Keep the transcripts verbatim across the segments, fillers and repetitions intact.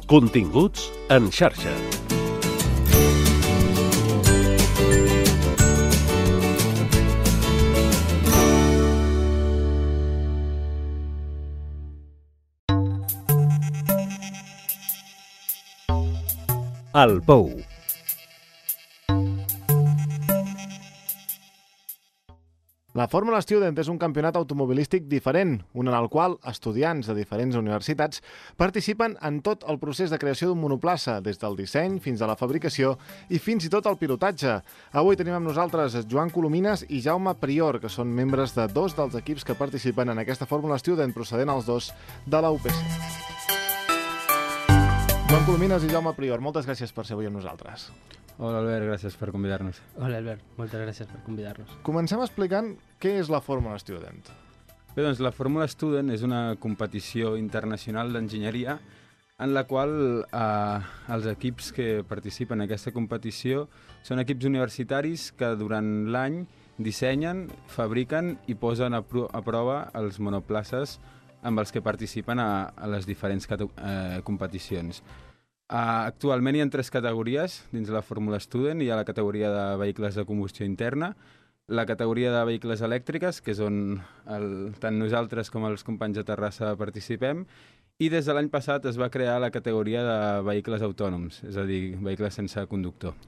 Continguts en xarxa. El Pou. La Fórmula Student és un campionat automobilístic diferent, un en el qual estudiants de diferents universitats participen en tot el procés de creació d'un monoplaça, des del disseny fins a la fabricació i fins i tot el pilotatge. Avui tenim amb nosaltres Joan Colomines i Jaume Prior, que són membres de dos dels equips que participen en aquesta Fórmula Student, procedent els dos de la U P C. Joan Colomines i Jaume Prior, moltes gràcies per ser avui amb nosaltres. Hola Albert, gràcies per convidar-nos. Hola Albert, moltes gràcies per convidar-nos. Comencem explicant què és la Fórmula Student. Bé, doncs la Fórmula Student és una competició internacional d'enginyeria en la qual eh, els equips que participen en aquesta competició són equips universitaris que durant l'any dissenyen, fabriquen i posen a, pro a prova els monoplaces amb els que participen a, a les diferents eh, competicions. Uh, actualment hi ha tres categories dins la Fórmula Student. Hi ha la categoria de vehicles de combustió interna, la categoria de vehicles elèctriques, que és on el, tant nosaltres com els companys de Terrassa participem, i des de l'any passat es va crear la categoria de vehicles autònoms, és a dir, vehicles sense conductor.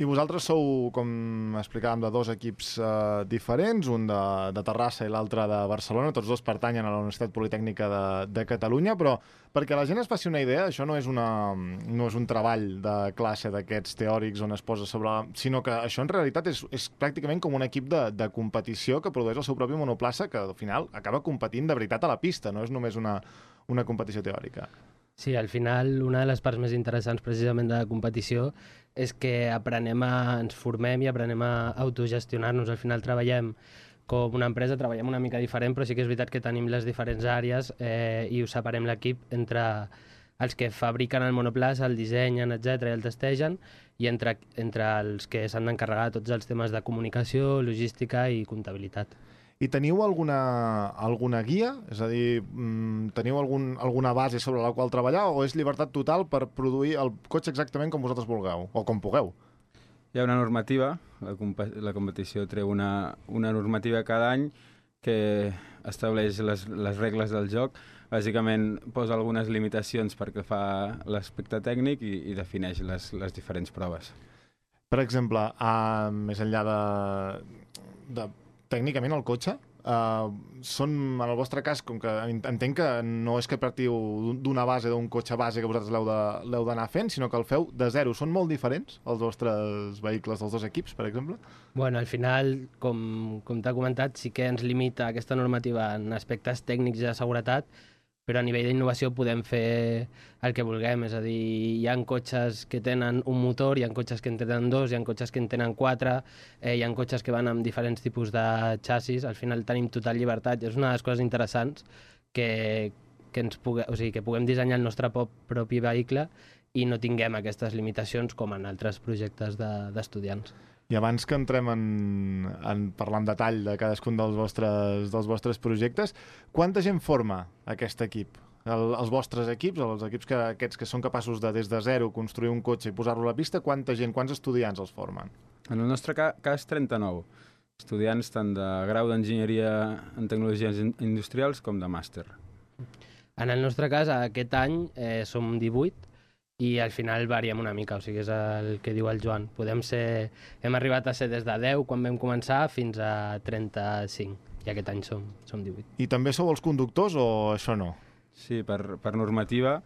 I vosaltres sou, com explicàvem, de dos equips eh, diferents, un de, de Terrassa i l'altre de Barcelona, tots dos pertanyen a la Universitat Politècnica de, de Catalunya, però perquè la gent es faci una idea, això no és, una, no és un treball de classe d'aquests teòrics on es posa sobre... sinó que això en realitat és, és pràcticament com un equip de, de competició que produeix el seu propi monoplaça, que al final acaba competint de veritat a la pista, no és només una, una competició teòrica. Sí, al final una de les parts més interessants precisament de la competició és que aprenem a, ens formem i aprenem a autogestionar-nos. Al final treballem com una empresa, treballem una mica diferent, però sí que és veritat que tenim les diferents àrees eh, i ho separem l'equip entre els que fabriquen el monoplaça, el dissenyen, etcètera, i el testegen, i entre, entre els que s'han d'encarregar de tots els temes de comunicació, logística i comptabilitat. I teniu alguna, alguna guia? És a dir, teniu algun, alguna base sobre la qual treballar o és llibertat total per produir el cotxe exactament com vosaltres vulgueu o com pugueu? Hi ha una normativa, la, comp la competició treu una, una normativa cada any que estableix les, les regles del joc. Bàsicament posa algunes limitacions perquè fa l'aspecte tècnic i, i defineix les, les diferents proves. Per exemple, uh, més enllà de... de tècnicament el cotxe, uh, són, en el vostre cas, com que entenc que no és que partiu d'una base, d'un cotxe base que vosaltres l'heu d'anar fent, sinó que el feu de zero. Són molt diferents els vostres vehicles dels dos equips, per exemple? Bueno, al final, com, com t'ha comentat, sí que ens limita aquesta normativa en aspectes tècnics i de seguretat, però a nivell d'innovació podem fer el que vulguem, és a dir, hi ha cotxes que tenen un motor, hi ha cotxes que en tenen dos, hi ha cotxes que en tenen quatre, eh, hi ha cotxes que van amb diferents tipus de xassis, al final tenim total llibertat, i és una de les coses interessants que, que, ens pugue, o sigui, que puguem dissenyar el nostre propi vehicle i no tinguem aquestes limitacions com en altres projectes d'estudiants. De, I abans que entrem en, en parlar en detall de cadascun dels vostres, dels vostres projectes, quanta gent forma aquest equip? El, els vostres equips, els equips que, aquests que són capaços de des de zero construir un cotxe i posar-lo a la pista, quanta gent, quants estudiants els formen? En el nostre ca cas, trenta-nou. Estudiants tant de grau d'enginyeria en tecnologies industrials com de màster. En el nostre cas, aquest any eh, som divuit, i al final variem una mica, o sigui, és el que diu el Joan. Podem ser, hem arribat a ser des de deu quan vam començar fins a trenta-cinc, i aquest any som, som divuit. I també sou els conductors o això no? Sí, per, per normativa,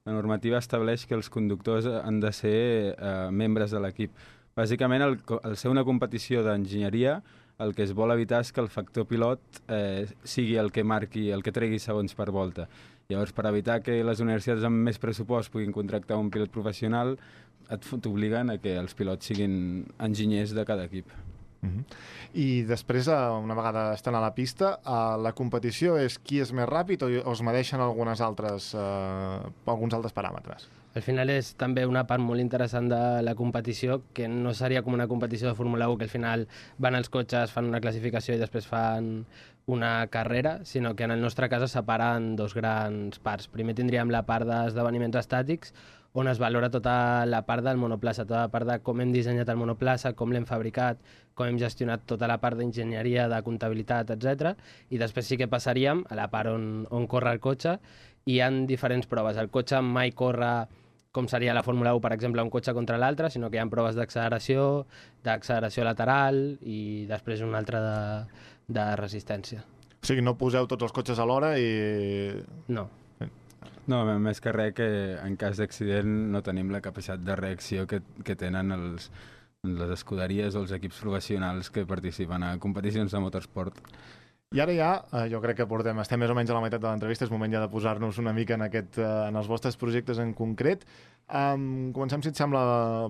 la normativa estableix que els conductors han de ser eh, membres de l'equip. Bàsicament, el, al ser una competició d'enginyeria, el que es vol evitar és que el factor pilot eh, sigui el que marqui, el que tregui segons per volta. Llavors, per evitar que les universitats amb més pressupost puguin contractar un pilot professional, t'obliguen a que els pilots siguin enginyers de cada equip. Uh-huh. I després, una vegada estan a la pista, la competició és qui és més ràpid o es medeixen algunes altres, eh, alguns altres paràmetres? Al final és també una part molt interessant de la competició, que no seria com una competició de Fórmula u, que al final van els cotxes, fan una classificació i després fan una carrera, sinó que en el nostre cas es separen dos grans parts. Primer tindríem la part d'esdeveniments estàtics, on es valora tota la part del monoplaça, tota la part de com hem dissenyat el monoplaça, com l'hem fabricat, com hem gestionat tota la part d'enginyeria, de comptabilitat, etcètera. I després sí que passaríem a la part on, on corre el cotxe, i hi ha diferents proves. El cotxe mai corre com seria la Fórmula u, per exemple, un cotxe contra l'altre, sinó que hi ha proves d'acceleració, d'acceleració lateral i després una altra de, de resistència. O sigui, no poseu tots els cotxes alhora i... No. No, més que res que en cas d'accident no tenim la capacitat de reacció que, que tenen els, les escuderies o els equips professionals que participen a competicions de motorsport. I ara ja, jo crec que portem, estem més o menys a la meitat de l'entrevista, és moment ja de posar-nos una mica en, aquest, en els vostres projectes en concret. Um, comencem, si et sembla,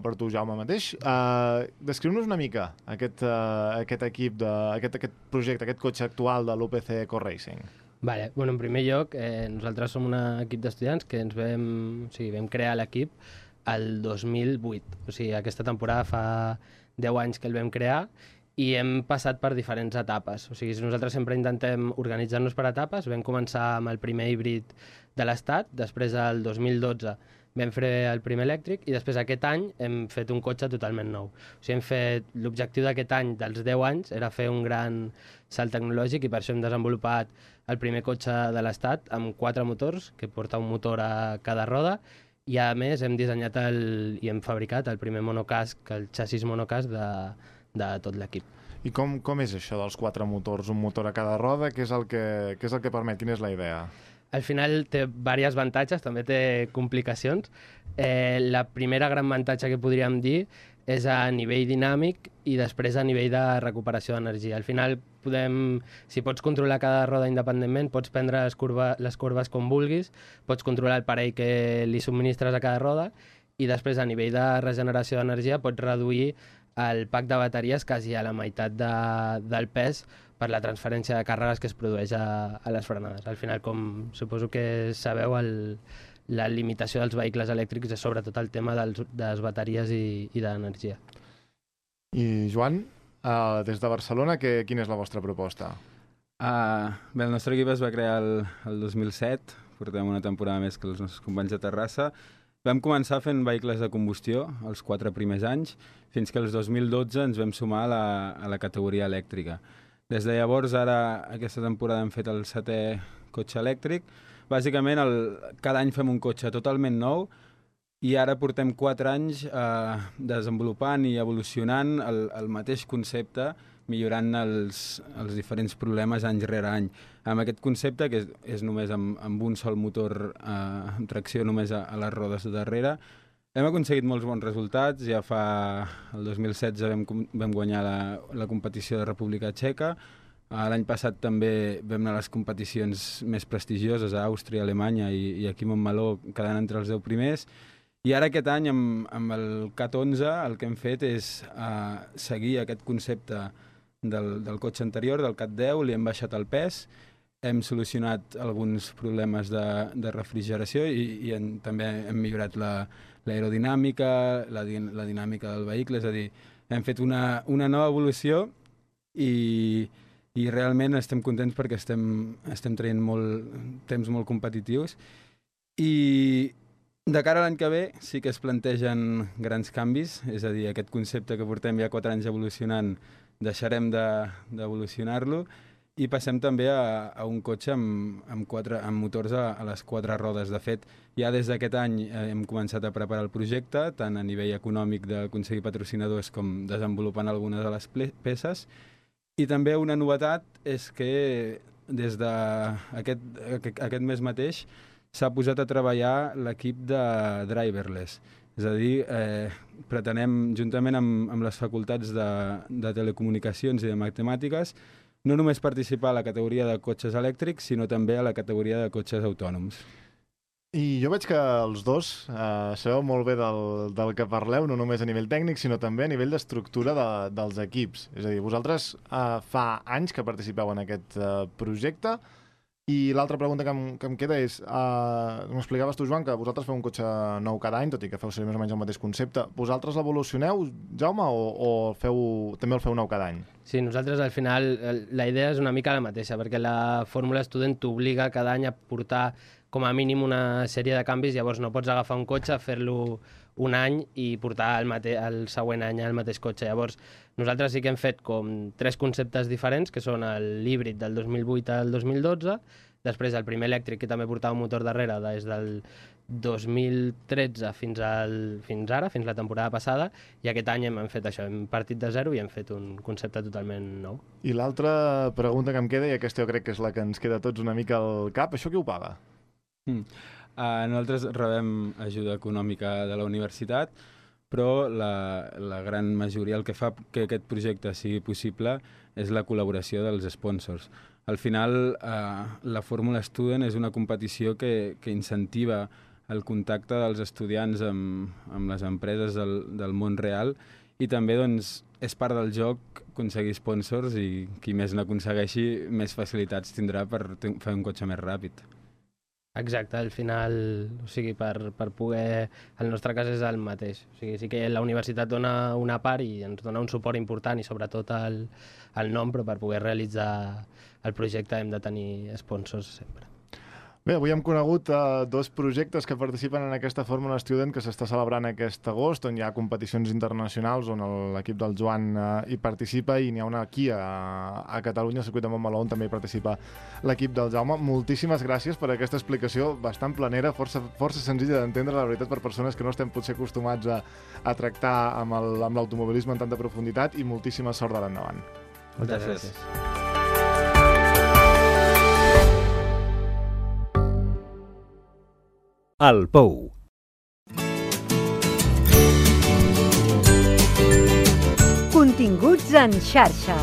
per tu, Jaume, mateix. Uh, Descriu-nos una mica aquest, uh, aquest equip, de, aquest, aquest projecte, aquest cotxe actual de l'U P C Core Racing. Vale. Bueno, en primer lloc, eh, nosaltres som un equip d'estudiants que ens vam, o sigui, vam crear l'equip el dos mil vuit. O sigui, aquesta temporada fa deu anys que el vam crear i hem passat per diferents etapes. O sigui, nosaltres sempre intentem organitzar-nos per etapes. Vam començar amb el primer híbrid de l'Estat, després el dos mil dotze vam fer el primer elèctric i després aquest any hem fet un cotxe totalment nou. O sigui, hem fet l'objectiu d'aquest any, dels deu anys, era fer un gran salt tecnològic i per això hem desenvolupat el primer cotxe de l'Estat amb quatre motors, que porta un motor a cada roda, i a més hem dissenyat el, i hem fabricat el primer monocasc, el xassis monocasc de, de tot l'equip. I com, com és això dels quatre motors? Un motor a cada roda? Què és el que, què és el que permet? Quina és la idea? Al final té diversos avantatges, també té complicacions. Eh, la primera gran avantatge que podríem dir és a nivell dinàmic i després a nivell de recuperació d'energia. Al final, podem, si pots controlar cada roda independentment, pots prendre les, curva, les curves com vulguis, pots controlar el parell que li subministres a cada roda i després a nivell de regeneració d'energia pots reduir el pack de bateries quasi a la meitat de, del pes per la transferència de càrregues que es produeix a, a les frenades. Al final, com suposo que sabeu, el, la limitació dels vehicles elèctrics és sobretot el tema dels, de les bateries i, i de l'energia. I Joan, uh, des de Barcelona, que, quina és la vostra proposta? Uh, bé, el nostre equip es va crear el, el dos mil set, portem una temporada més que els nostres companys de Terrassa. Vam començar fent vehicles de combustió els quatre primers anys, fins que el dos mil dotze ens vam sumar a la, a la categoria elèctrica. Des de llavors, ara, aquesta temporada hem fet el setè cotxe elèctric. Bàsicament, el, cada any fem un cotxe totalment nou i ara portem quatre anys eh, desenvolupant i evolucionant el, el mateix concepte, millorant els, els diferents problemes any rere any. Amb aquest concepte, que és, és només amb, amb un sol motor, eh, amb tracció només a, a les rodes de darrere, hem aconseguit molts bons resultats. Ja fa el dos mil setze vam, vam guanyar la, la competició de República Txeca. L'any passat també vam anar a les competicions més prestigioses a Àustria, Alemanya i, i aquí a Montmeló, quedant entre els deu primers. I ara aquest any, amb, amb el CAT onze, el que hem fet és uh, seguir aquest concepte del, del cotxe anterior, del CAT deu, li hem baixat el pes, hem solucionat alguns problemes de, de refrigeració i, i en, també hem millorat la, l'aerodinàmica, la, la dinàmica del vehicle, és a dir, hem fet una, una nova evolució i, i realment estem contents perquè estem, estem traient molt, temps molt competitius i de cara a l'any que ve sí que es plantegen grans canvis, és a dir, aquest concepte que portem ja quatre anys evolucionant deixarem d'evolucionar-lo i passem també a, a un cotxe amb, amb, quatre, amb motors a, a les quatre rodes. De fet, ja des d'aquest any eh, hem començat a preparar el projecte, tant a nivell econòmic d'aconseguir patrocinadors com desenvolupant algunes de les peces. I també una novetat és que des d'aquest aquest mes mateix s'ha posat a treballar l'equip de driverless. És a dir, eh, pretenem, juntament amb, amb les facultats de, de telecomunicacions i de matemàtiques, no només participar a la categoria de cotxes elèctrics, sinó també a la categoria de cotxes autònoms. I jo veig que els dos eh, sabeu molt bé del, del que parleu, no només a nivell tècnic, sinó també a nivell d'estructura de, dels equips. És a dir, vosaltres eh, fa anys que participeu en aquest eh, projecte, i l'altra pregunta que em, que em queda és, eh, m'explicaves tu, Joan, que vosaltres feu un cotxe nou cada any, tot i que feu servir més o menys el mateix concepte. Vosaltres l'evolucioneu, Jaume, o, o feu, també el feu nou cada any? Sí, nosaltres al final la idea és una mica la mateixa, perquè la fórmula Student t'obliga cada any a portar com a mínim una sèrie de canvis, llavors no pots agafar un cotxe, fer-lo un any i portar el, mate el següent any el mateix cotxe. Llavors, nosaltres sí que hem fet com tres conceptes diferents, que són l'híbrid del dos mil vuit al dos mil dotze, després el primer elèctric, que també portava un motor darrere des del dos mil tretze fins, al, fins ara, fins la temporada passada, i aquest any hem fet això, hem partit de zero i hem fet un concepte totalment nou. I l'altra pregunta que em queda, i aquesta jo crec que és la que ens queda tots una mica al cap, això qui ho paga? Mm. Uh, nosaltres rebem ajuda econòmica de la universitat, però la, la gran majoria, el que fa que aquest projecte sigui possible és la col·laboració dels sponsors. Al final, uh, la Fórmula Student és una competició que, que incentiva el contacte dels estudiants amb, amb les empreses del, del món real, i també doncs, és part del joc aconseguir sponsors, i qui més n'aconsegueixi més facilitats tindrà per fer un cotxe més ràpid. Exacte, al final, o sigui, per, per poder... El nostre cas és el mateix. O sigui, sí que la universitat dona una part i ens dona un suport important, i sobretot el, el nom, però per poder realitzar el projecte hem de tenir sponsors sempre. Bé, avui hem conegut uh, dos projectes que participen en aquesta Fórmula Student que s'està celebrant aquest agost, on hi ha competicions internacionals, on l'equip del Joan uh, hi participa, i n'hi ha una aquí a, a Catalunya, al circuit de Montmeló, on també hi participa l'equip del Jaume. Moltíssimes gràcies per aquesta explicació bastant planera, força, força senzilla d'entendre, la veritat, per persones que no estem potser acostumats a, a tractar amb l'automobilisme en tanta profunditat, i moltíssima sort de l'endavant. Moltes gràcies. gràcies. El Pou. Continguts en xarxa.